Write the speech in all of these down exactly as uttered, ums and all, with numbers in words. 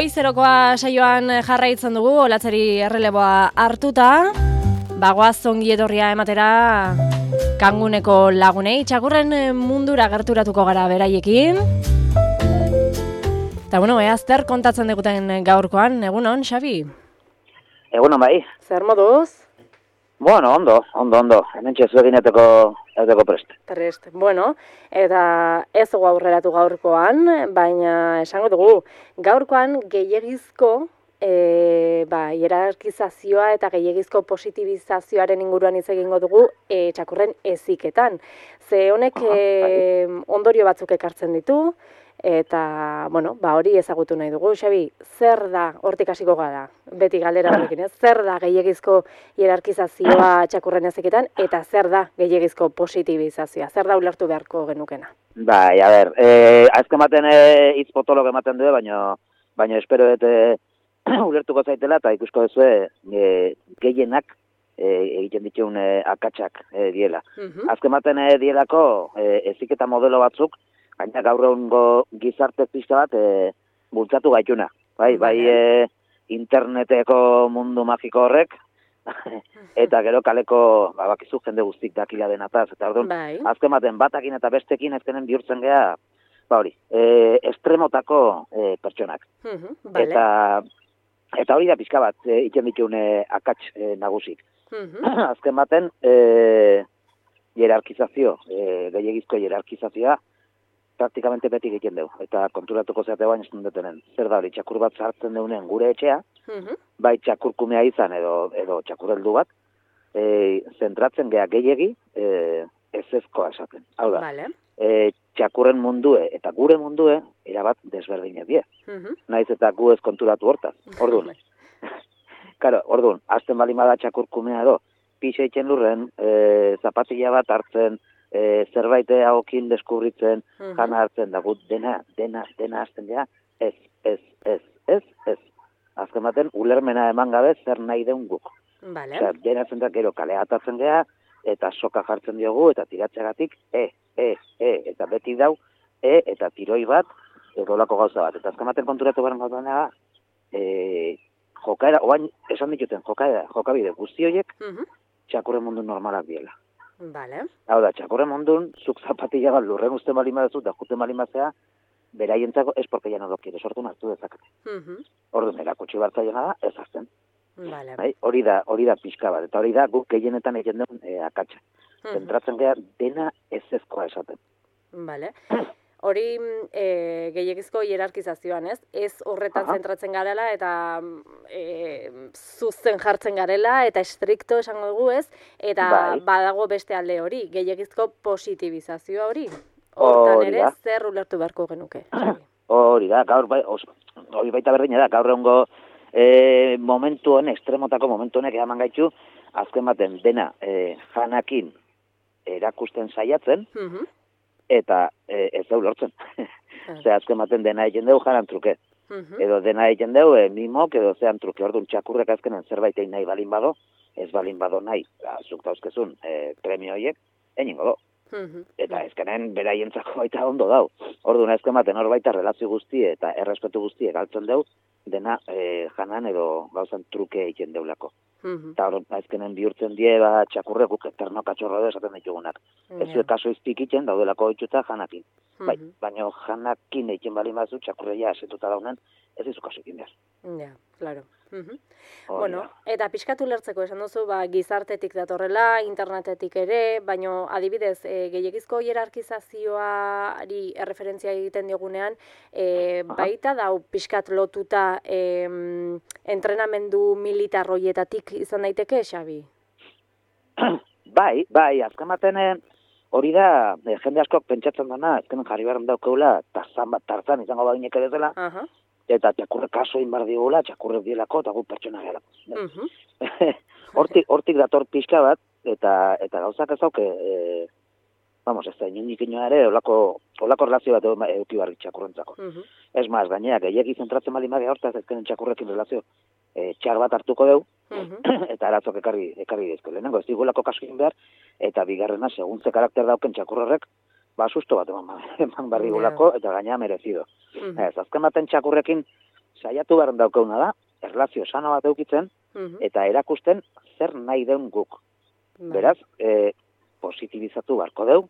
Goizerokoa saioan jarraitzen dugu, olatzari erreleboa hartuta, bagoaz ongi etorria ematera Kanguneko lagunei, txakurren mundura gerturatuko gara beraiekin. Eta bueno, ea zer kontatzen diguten gaurkoan, egunon, Xabi? Egunon bai. Zer moduz? Bueno, ondo, ondo, ondo. Hemen txezuekin eteko, eteko prest. Prest, bueno, eta ez dugu aurreratu gaurkoan, baina esango dugu, gaurkoan gehiegizko e, ba, hierarkizazioa eta gehiegizko positibizazioaren inguruan hitz egingo dugu e, txakurren heziketan. Ze honek Aha, e, ondorio batzuk ekartzen ditu, eta, bueno, ba hori ezagutu nahi dugu. Xabi, zer da, hortik hasiko gara, beti galdera horrekin, ez? Zer da gehiegizko hierarkizazioa txakurren heziketan, eta zer da gehiegizko positibizazioa? Zer da ulertu beharko genukena? Bai, a ber, eh, azken baten eh, hitz potolok ematen du, baina baina espero dut eh, ulertuko zaitela, eta ikusko duzu eh, gehienak eh, egiten dituen eh, akatsak eh, diela. Mhm. Azken baten eh, dielako eh, heziketa modelo batzuk, gaina gaur egungo gizarte pixka bat e, bultzatu gaituna. Bai, bai e, interneteko mundu magiko horrek, eta gero kaleko, ba, bakizu jende guztik dakila denataz, eta orduan, Bai. azken baten batakin eta bestekin ezkenen bihurtzen gea, ba hori, e, estremotako e, pertsonak. Mhm, vale. Eta, eta hori da pixka bat, e, iken ditun e, akats e, nagusik. Mhm. Azken baten, e, hierarkizazio, e, gehiagizko hierarkizazioa, praktikamente beti egiten dugu, eta konturatuko zeate baina ez dutenen. Zer da hori, txakur bat sartzen deunen gure etxea, Mhm. bai txakurkumea izan edo edo txakurheldu bat, e, zentratzen gea gehiegi e, ez ezkoa esaten. Hau da, Vale. e, txakurren mundue eta gure mundue erabat desberdinak die. Mhm. Naiz eta gu ez konturatu hortaz. Orduan. Karo, orduan, azten bali bada txakurkumea edo, pixa itxen lurren, e, zapatilla bat hartzen, E, zerbait hagokin deskubritzen, Mhm. jana hartzen da, gut dena, dena, dena azten dira, ez, ez, ez, ez, ez. Azken baten, ulermena eman gabe zer nahi deun guk. Vale. Osea, dena zentak gero kalea atatzen geha, eta soka jartzen diogu, eta tiratzeagatik, e, e, e, eta beti dau, e, eta tiroi bat, edo lako gauza bat. Eta azken baten konturatu garen gauza da, e, jokaera, oain, esan dituten, jokaera, jokabide guzti horiek, Mhm. txakurren mundu normalak diela. Vale. Hau da, txakurren mundun, zuk zapatilla bat lurren uste bali madezu, da jute bali mazea, beraientzako ez porque ya no lo quiere, sortu hartu dezakate. Mhm. Orduan, erakutsi bartzaiona da, ez azten. Vale. Bai? Hori da, hori da pixka bat, eta hori da guk gehienetan egiten duen e, akatsa. Mhm. Zentratzen gea dena ez ezkoa esaten. Vale. Hori e, gehiegizko hierarkizazioan, ez? Ez horretan Aha. zentratzen garela eta e, zuzen jartzen garela eta estrikto esango dugu, ez? Eta Bai. badago beste alde hori, gehiegizko positibizazioa hori. Hortan Hori ere da. zer ulertu beharko genuke. Hori da, gaur bai, os, hori baita berdina da, gaur egungo e, momentu honek, estremotako momentu honek eman gaitu, azken baten dena e, janakin erakusten saiatzen, Mhm. eta e, ez da lortzen. Ze azken baten dena egiten dugu jaran truke. Mhm. Edo dena egiten dugu e, mimok, edo zean truke. Orduan txakurrek azkenen zerbait egin nahi balin bado, ez balin bado nahi, ba, zuk dauzkezun e, premio horiek, eningo do. Mhm. Eta ezkenen beraientzako baita ondo dau. Orduan azken baten hor baita relazio guztie eta errespetu guztiek galtzen deu, dena e, janan edo gauzan truke egiten deulako. Mhm. Eta hor azkenen bihurtzen die, ba, txakurrek guk eterno katxorro edo esaten ditugunak. Ez Ja. zuek kaso izpikitzen daudelako itxuta janakin. Bai, Mhm. baina janakin egiten bali mazu, txakurreia esetuta daunen, ez izu kaso egin behar. Ja, claro. Mhm. Hori Bueno, da. eta pixkatu lertzeko esan duzu, ba, gizartetik datorrela, internetetik ere, baino adibidez, e, gehiegizko hierarkizazioari erreferentzia egiten diogunean, e, Aha. baita dau pixkat lotuta e, entrenamendu militar hoietatik izan daiteke, Xabi? Bai, bai, azken baten eh, hori da, eh, jende askok pentsatzen dana, azkenen jarri behar daukeula, tarzan bat tarzan izango badinek bezala, Aha. eta txakurrek kaso egin behar digula, txakurrek dielako, eta gu pertsona gelako. Mhm. hortik, hortik dator pixka bat, eta eta gauzak ez dauke, e, vamos, ez da, inundik inoa ere, olako, olako relazio bat eduki barri txakurrentzako. Mhm. Ez maz, gainera, gehiagi zentratzen bali magia hortaz, ezkenen txakurrekin relazio e, txar bat hartuko deu, Mhm. eta aratzok ekarri, ekarri dizko. Lehenengo, ez digulako kasu egin behar, eta bigarrena, segun ze karakter dauken txakurrorrek, ba, susto bat eman, eman barri gulako, eta gaina merezido. Mhm. Ez, azken baten txakurrekin saiatu behar daukauna da, erlazio sano bat eukitzen, eta erakusten zer nahi den guk. Beraz, e, positibizatu barko deu,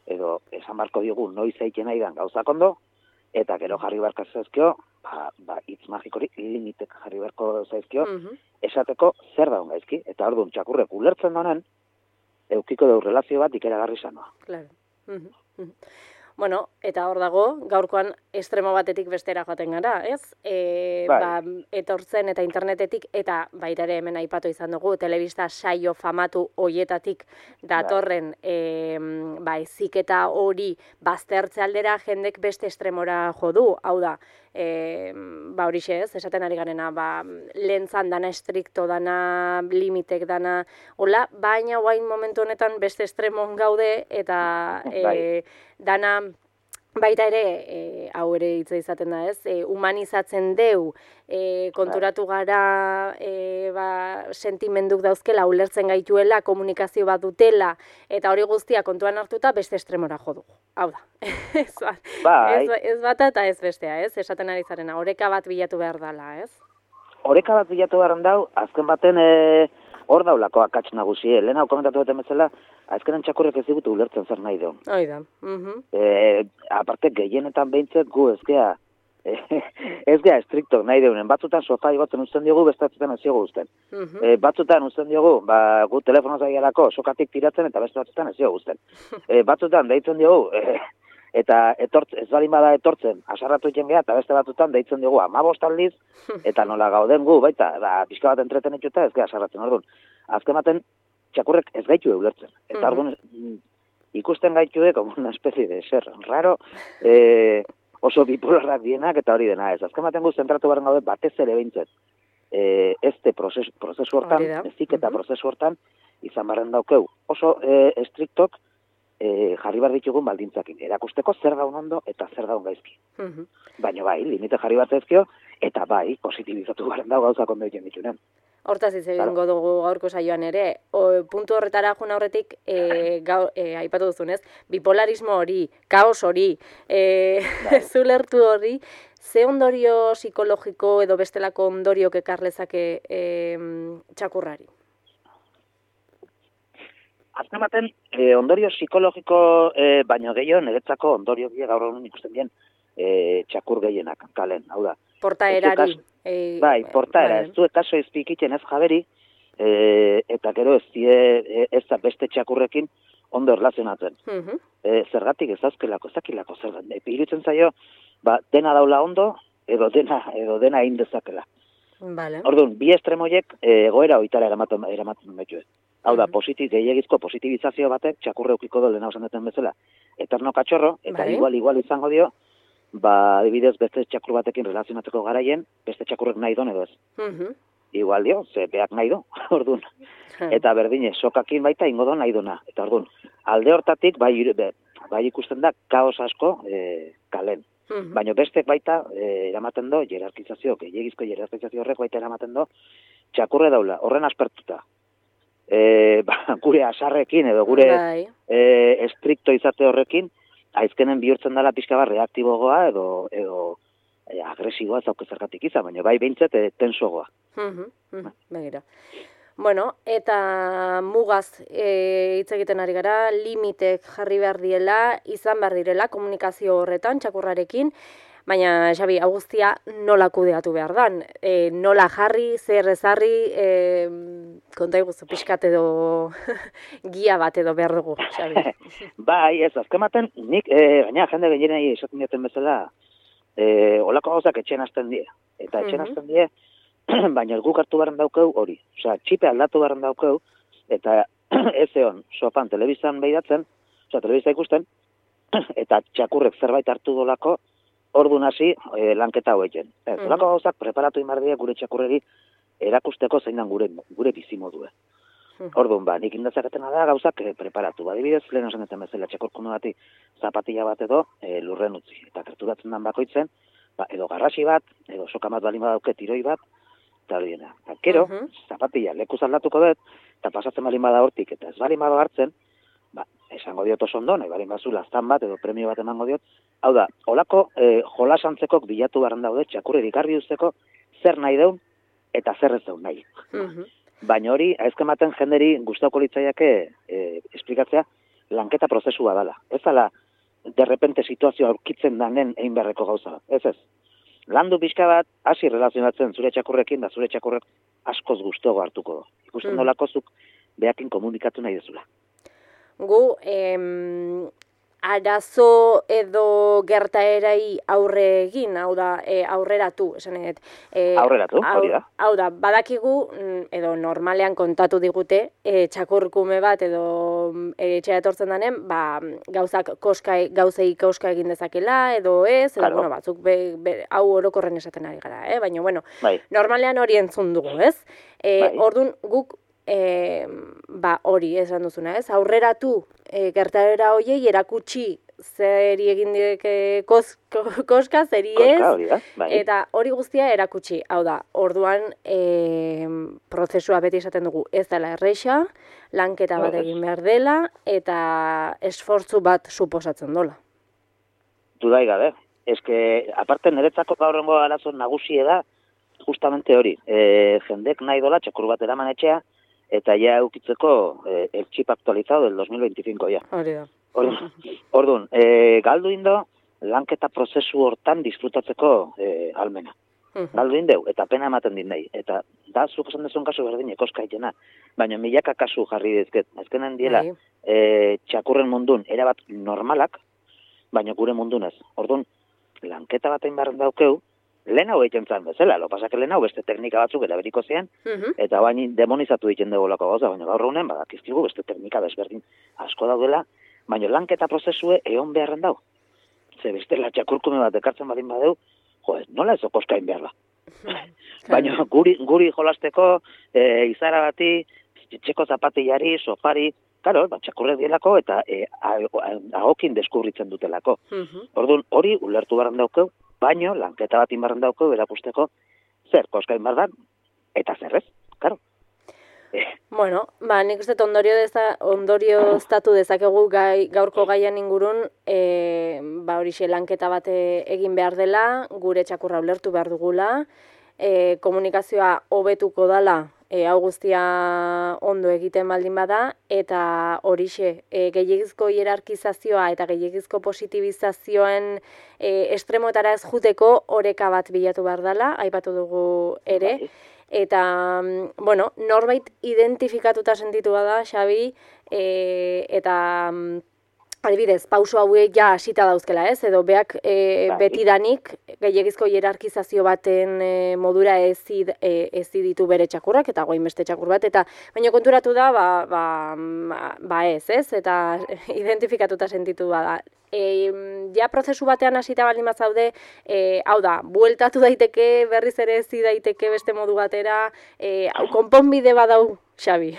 edo esan barko diogu noiz eiken nahi den gauzak ondo, eta gero jarri barko zaizkio, ba, ba, hitz magikorik limitek jarri barko zaizkio, esateko zer daun gaizki, eta orduan txakurrek ulertzen donen, eukiko deu relazio bat ikeragarri sanoa. Claro. Bueno, eta hor dago, gaurkoan estremo batetik bestera joaten gara, ez? E, bai. Ba, etortzen eta internetetik, eta baita ere hemen aipatu izan dugu, telebista saio famatu hoietatik datorren bai. e, ba, eziketa hori baztertze aldera jendek beste estremora jo du, hau da, e, ba horixe ez, esaten ari garena, ba, lehentzan dana estrikto, dana limitek, dana, hola, baina guain momentu honetan beste estremon gaude, eta e, bai. dana baita ere, e, hau ere hitza izaten da ez, e, humanizatzen deu, e, konturatu gara e, ba, sentimenduk dauzkela, ulertzen gaituela, komunikazio bat dutela, eta hori guztia kontuan hartuta beste estremora jo dugu. Hau da, ez, bai. ez, ez bata eta ez bestea, ez, esaten ari zarena, oreka bat bilatu behar dela, ez? Oreka bat bilatu behar dau, azken baten e, hor daulako akats nagusi, eh? Lehen hau komentatu beten bezala, azkenan txakurrek ez digute ulertzen zer nahi du. Hoi da. Uh-huh. E, aparte, gehienetan behintzet gu ez gea, e, ez gea estriktok nahi deunen. Batzutan sofa igotzen uzten diogu, bestatzetan ez diogu uzten. Uh-huh. E, batzutan uzten diogu, ba, gu telefonoz aialako sokatik tiratzen eta beste batzutan ez diogu uzten. E, batzutan deitzen diogu, e, eta etort, ez balin bada etortzen, asarratu iten geha, eta beste batzutan deitzen diogu amabost aldiz, eta nola gauden gu, baita, ba, pixka bat entretenetxuta ez geha asarratzen, orduan. Azken baten, txakurrek ez gaitu ulertzen. Eta mm-hmm. orduan, ikusten gaitue, como una especie de ser raro, e, oso bipolarrak dienak, eta hori dena ez. Azken baten gu zentratu baren gaude, batez ere behintzet, e, este prozesu, prozesu hortan, ezik eta mm-hmm. prozesu hortan, izan barren daukeu. Oso e, estriktok, E, jarri bar ditugun baldintzakin, erakusteko zer daun ondo eta zer daun gaizki. Uh-huh. Baina bai, limite jarri bat ezkio, eta bai, positibizatu garen dago gauzak ondo egiten ditunen. Hortaz hitz egingo dugu gaurko saioan ere, o, puntu horretara jun aurretik, e, gau, e, aipatu duzunez, bipolarismo hori, kaos hori, e, zulertu hori, ze ondorio psikologiko edo bestelako ondorio ekarlezake e, txakurrari? Azken baten, eh, ondorio psikologiko eh, baino gehiago, niretzako ondorio gie gaur egun ikusten dien eh, txakur gehienak, kalen, hau da. Portaerari. E, bai, portaera, ez du kaso izpikiten ez jaberi, eh, eta gero ez die, ez da beste txakurrekin ondo erlazionatzen. Uh-huh. eh, zergatik ez dauzkelako, ez dakilako zergatik. Iruditzen zaio, ba, dena daula ondo, edo dena, edo dena egin dezakela. Vale. Orduan, bi estremoiek egoera oitara eramaten, eramaten betue. Hau da, positiz, gehiagizko positibizazio batek, txakurre eukiko do lehena osan duten bezala, eterno katxorro, eta bai. igual, igual izango dio, ba, adibidez, beste txakur batekin relazionatzeko garaien, beste txakurrek nahi don edo ez. Uh-huh. Igual dio, ze beak nahi do, orduan. Uh-huh. Eta berdine, sokakin baita ingo do nahi dona. Eta orduan, alde hortatik, bai, be, bai ikusten da, kaos asko e, kalen. Uh-huh. Baina bestek baita, e, eramaten do, jerarkizazio, gehiagizko jerarkizazio horrek baita eramaten do, txakurre daula, horren aspertuta. E, ba, gure asarrekin edo gure e, estrikto izate horrekin, aizkenen bihurtzen dela pixka bat reaktibogoa edo, edo e, agresiboa zauke zergatik izan, baina bai behintzet e, tensogoa. Uh-huh, uh-huh, begira. Bueno, eta mugaz e, hitz egiten ari gara, limitek jarri behar diela, izan behar direla komunikazio horretan, txakurrarekin, baina, Xabi, Agustia nola kudeatu behar dan? E, nola jarri, zer ezarri, e, konta iguzu, pixkat edo gia bat edo behar dugu, Xabi. Bai, ez, azkematen, nik, e, gaina jende gehienei esaten diaten bezala, e, olako gauzak etxen hasten die. Eta etxen hasten die, baina guk hartu barren daukeu hori. Osea, txipe aldatu barren daukeu, eta ez egon, sofan, telebizan behidatzen, osea, telebiza ikusten, eta txakurrek zerbait hartu dolako, ordu hasi e, lanketa hauetzen. Ez, mm-hmm. Olako gauzak preparatu imardie gure txakurreri erakusteko zein dan gure, gure bizimodue. Mm-hmm. Orduan, ba, nik indazaketena da gauzak e, preparatu. Ba, dibidez, lehen osan eten bezala txakurkunu bati zapatilla bat edo e, lurren utzi. Eta gerturatzen dan bakoitzen, ba, edo garrasi bat, edo sokamat balin badauke tiroi bat, eta hori dena. Eta kero, mm-hmm. zapatilla lekuz aldatuko dut, eta pasatzen balin bada hortik, eta ez balin bada hartzen, ba, esango diot oso ondo, nahi barin bazu lastan bat edo premio bat emango diot, hau da, olako e, jolasantzekok bilatu barren daude, txakurreri garbi usteko zer nahi deun eta zer ez deun nahi. Mhm. Baina hori, aizkematen jenderi gustauko litzaiake e, esplikatzea lanketa prozesua dela. Ez ala, derrepente situazio aurkitzen danen egin beharreko gauza. Ez ez. Landu pixka bat, hasi relazionatzen zure txakurrekin, da zure txakurrek askoz gustoago hartuko. Ikusten Mm. dolakozuk behakin komunikatu nahi dezula. Gu, em, arazo edo gertaerai aurre egin, hau da, e, aurreratu, esanet. E, Aurreratu, hori da. Hau da, badakigu, mm, edo normalean kontatu digute, e, txakurkume bat edo mm, etxea etortzen danen, ba, gauzak koska, gauzei koska egin dezakela, edo ez, edo, Claro. bueno, batzuk be, be, hau orokorren esaten ari gara, eh? Baina, bueno, Bai. normalean hori entzun dugu, ez? E, Bai. Orduan, guk e, ba hori esan duzuna, ez? Aurreratu e, gertaera hoiei erakutsi zeri egin direke kos, ko- koska, zeri ez, Koska, hori da. Bai. eta hori guztia erakutsi. Hau da, orduan e, prozesua beti esaten dugu ez dela erreixa, lanketa bat Ez. egin behar dela, eta esfortzu bat suposatzen dola. Dudai gabe. Ez que, aparte niretzako gaurrengo arazo nagusie da, justamente hori. E, jendek nahi dola txakur bat eraman etxea, eta ja eukitzeko e, el chip actualizado del dos mil veinticinco ya. Hori da. Orduan, orduan e, galdu indo, lanketa prozesu hortan disfrutatzeko e, almena. Mhm. Galdu indeu, eta pena ematen din nahi. Eta da, zuk esan dezun kasu berdin ekoska itena. Baina milaka kasu jarri dizket. Azkenen diela, Bai. e, txakurren mundun erabat normalak, baina gure mundun ez. Orduan, lanketa batein barren daukeu, lehen hau egiten zan bezala, lo pasak lehen hau beste teknika batzuk eraberiko zian, Mhm. eta bain demonizatu egiten dugolako gauza, baina gaur egunen badakizkigu beste teknika desberdin asko daudela, baina lanketa prozesue egon beharren dau. Ze bestela txakurkume bat ekartzen badin badeu, jo, nola ez okoskain behar da. Baina guri, guri jolasteko, e, izara bati, txeko zapatillari, sofari, karo, ba, txakurrek dielako eta e, ahokin deskubritzen dutelako. Mhm. Orduan, hori ulertu barren daukeu, baino lanketa bat inbarren daukeu erakusteko zer koskain behar da, eta zer ez, karo. Eh, Bueno, ba, nik uste dut ondorio deza, ondorioztatu dezakegu gai, gaurko gaian ingurun, e, ba, horixe lanketa bat e, egin behar dela, gure txakurra ulertu behar dugula, e, komunikazioa hobetuko dala, e, hau guztia ondo egiten baldin bada, eta horixe, e, gehiagizko hierarkizazioa eta gehiagizko positibizazioen e, estremoetara ez juteko oreka bat bilatu behar dela, aipatu dugu ere, bai. eta, mm, bueno, norbait identifikatuta sentitu bada, Xabi, e, eta mm, adibidez, pauso hauek ja hasita dauzkela, ez? Edo beak e, Bai. betidanik gehiagizko hierarkizazio baten e, modura ezi e, ezi ditu bere txakurrak, eta goin beste txakur bat, eta baina konturatu da, ba, ba, ba, ba ez, ez? Eta identifikatuta sentitu bada. E, ja prozesu batean hasita baldin bazaude, e, hau da, bueltatu daiteke, berriz ere ezi daiteke beste modu batera, e, hau konponbide badau, Xabi.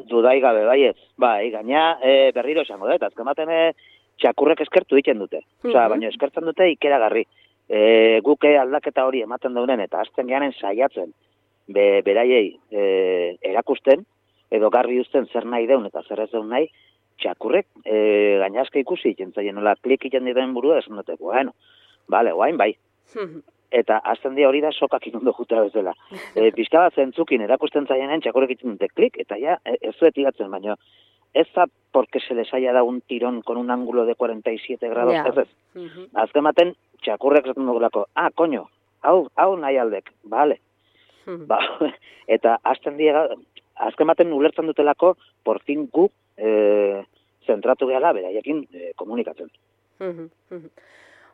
Dudai gabe, baiet. Bai, gaina e, berriro esango dut, azken baten e, txakurrek eskertu egiten dute. Osea, Mhm. baina eskertzen dute ikeragarri. E, guke aldaketa hori ematen daunen eta azten gehanen saiatzen be, beraiei e, erakusten, edo garbi uzten zer nahi deun eta zer ez deun nahi, txakurrek e, gainazka ikusi egiten zaien, nola klik egiten diren burua, esan dute, bueno, bale, guain bai. Eta azten dia hori da sokak inondo juta bezala. E, pixka bat zentzukin erakusten zaienen txakurek egiten dute klik, eta ja, e, ez zuet igatzen, baina ez da porque se les haya dado un tirón con un ángulo de cuarenta y siete grados, Ja. ez ez. Azken baten, txakurrek zaten dugulako, ah, koño, hau, hau nahi aldek, bale. Ba, eta azten dia, azken baten ulertzen dutelako, por fin gu e, zentratu gehala beraiekin e, komunikatzen.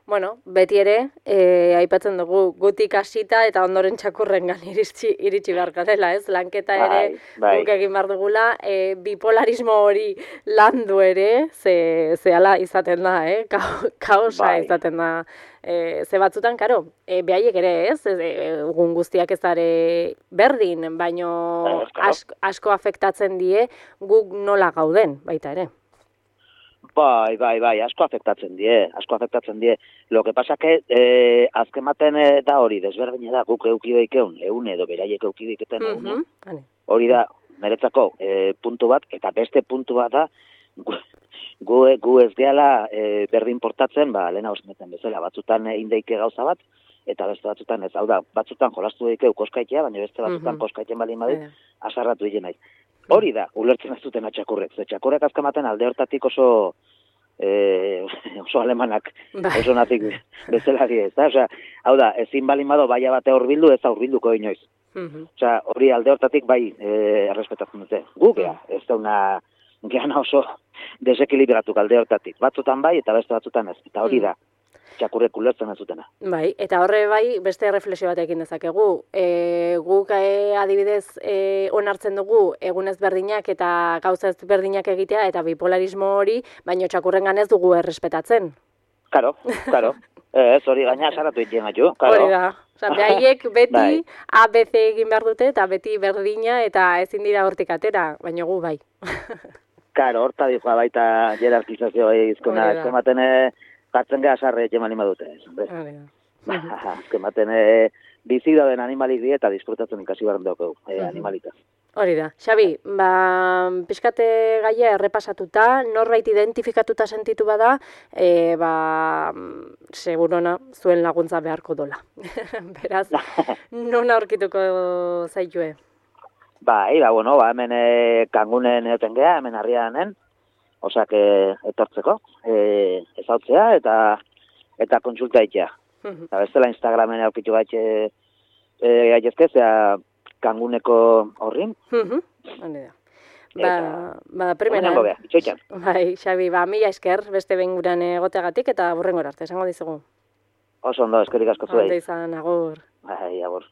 Bueno, beti ere, e, aipatzen dugu gutik hasita eta ondoren txakurrengan iritsi, iritsi behar garela, ez? Lanketa ere Bai, bai. guk egin behar dugula, e, bipolarismo hori landu ere, ze, ze ala izaten da, eh? Ka, kaosa Bai. izaten da. E, ze batzutan, karo, e, behaiek ere, ez? E, egun guztiak ez are berdin, baino Ez, claro. asko, asko afektatzen die guk nola gauden, baita ere. Bai, bai, bai, asko afektatzen die, asko afektatzen die. Lo que pasa que eh, azken baten eh, da hori, desberdina da, guk eukideikeun, eun edo beraiek eukideiketen eun, Mhm, hane. hori da, niretzako eh, puntu bat, eta beste puntu bat da, gu, gu, gu ez gehala e, berdin portatzen, ba, lehena osmeten bezala, batzutan indeike gauza bat, eta beste batzutan ez, hau da, batzutan jolastu daikeu koskaitea, baina beste batzutan Mhm. koskaiten bali madit, Bai. asarratu egin nahi. Hori da, ulertzen ez duten txakurrek, ze txakurrek azkamaten alde hortatik oso e, oso alemanak, Bai. oso natik bezalari ez da, osea, hau da, ezin balin bado baia bate hurbildu ez da hurbilduko inoiz. Mhm. Osea, hori alde hortatik bai e, errespetatzen dute. Gu gea, ez da una geana oso desekilibratuk alde hortatik. Batzutan bai eta beste batzutan ez. Eta hori da, txakurrek ulertzen ez dutena. Bai, eta horre bai beste reflexio bat egin dezakegu. E, guk e, adibidez e, onartzen dugu egun ezberdinak eta gauza ezberdinak egitea eta bipolarismo hori, baino txakurrengan ez dugu errespetatzen. Karo, karo. Ez, hori gaina saratu egiten gaitu, karo. Hori da. Osa, behaiek beti Bai. A B C egin behar dute eta beti berdina eta ezin dira hortik atera, baina gu bai. Karo, horta dikoa baita jerarkizazio izkona, Hori da. ezkematen jartzen geha sarre etxeman dute. Hori da. Ezkematen bizi dauden animalik die eta disfrutatzen ikasi behar dugu, e, animalitaz. Hori da. Xabi, ba, pixkate gaia errepasatuta, norbait identifikatuta sentitu bada, e, ba, segurona zuen laguntza beharko dola. Beraz, non aurkituko zaitue? Ba, ira, bueno, ba, hemen e, kangunen eoten geha, hemen harrianen, osak e, etortzeko, e, ezautzea eta eta kontsulta itea. Eta bestela Instagramen aurkitu gaitxe e, gaitezke, zea kanguneko horrin. Hori da. Ba, ba, Hemenengo primeran, beha, itxoitan. bai, Xabi, ba, mila esker beste behin guran egoteagatik eta burrengora arte, esango dizugu. Oso ondo, eskerik asko zuei. Ondo izan, agur. Bai, agur.